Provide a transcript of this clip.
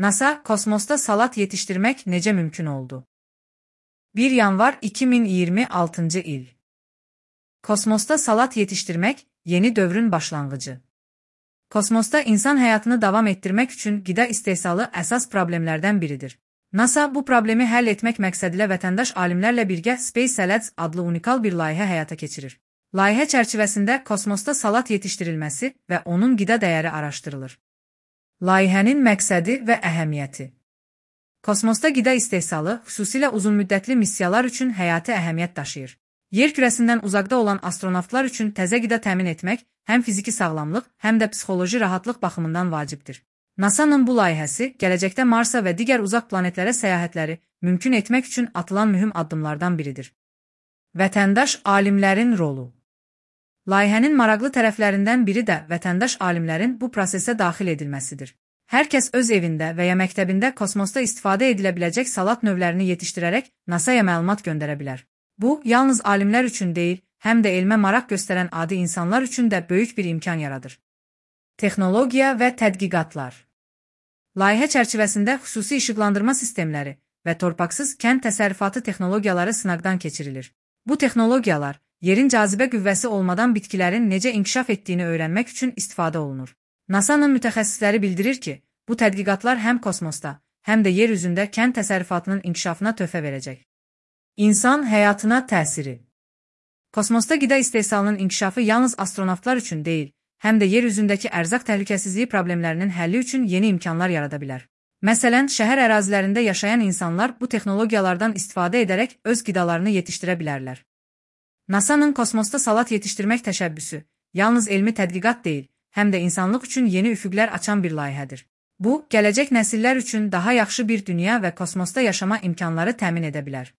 NASA, kosmosta salat yetiştirmek necə mümkün oldu? 1 yanvar 2026 il. Kosmosta salat yetiştirmek, yeni dövrün başlanğıcı. Kosmosta insan həyatını davam etdirmək üçün qida istehsalı əsas problemlərdən biridir. NASA bu problemi həll etmək məqsədilə vətəndaş alimlərlə birgə Space Salads adlı unikal bir layihə həyata keçirir. Layihə çərçivəsində kosmosta salat yetişdirilməsi və onun qida dəyəri araşdırılır. Layihənin məqsədi və əhəmiyyəti. Kosmosta qida istehsalı xüsusilə uzunmüddətli missiyalar üçün həyati əhəmiyyət daşıyır. Yer kürəsindən uzaqda olan astronavtlar üçün təzə qida təmin etmək həm fiziki sağlamlıq, həm də psixoloji rahatlıq baxımından vacibdir. NASA-nın bu layihəsi gələcəkdə Marsa və digər uzaq planetlərə səyahətləri mümkün etmək üçün atılan mühüm addımlardan biridir. Vətəndaş alimlərin rolu. Layihənin maraqlı tərəflərindən biri də vətəndaş alimlərin bu prosesə daxil edilməsidir. Hər kəs öz evində və ya məktəbində kosmosda istifadə edilə biləcək salat növlərini yetişdirərək NASA-ya məlumat göndərə bilər. Bu, yalnız alimlər üçün deyil, həm də elmə maraq göstərən adi insanlar üçün də böyük bir imkan yaradır. Texnologiya və tədqiqatlar. Layihə çərçivəsində xüsusi işıqlandırma sistemləri və torpaqsız kənd təsərrüfatı texnologiyaları sınaqdan keçirilir. Bu texnologiyalar, yerin cazibə qüvvəsi olmadan bitkilərin necə inkişaf etdiyini öyrənmək üçün istifadə olunur. NASA-nın mütəxəssisləri bildirir ki, bu tədqiqatlar həm kosmosda, həm də yer üzündə kənd təsərrüfatının inkişafına töhfə verəcək. İnsan həyatına təsiri. Kosmosda qida istehsalının inkişafı yalnız astronavtlar üçün deyil, həm də yer üzündəki ərzaq təhlükəsizliyi problemlərinin həlli üçün yeni imkanlar yarada bilər. Məsələn, şəhər ərazilərində yaşayan insanlar bu texnologiyalardan istifadə edərək öz qidalarını yetişdirə bilərlər. NASA-nın kosmosda salat yetişdirmək təşəbbüsü yalnız elmi tədqiqat deyil, həm də insanlıq üçün yeni üfüqlər açan bir layihədir. Bu, gələcək nəsillər üçün daha yaxşı bir dünya və kosmosda yaşama imkanları təmin edə bilər.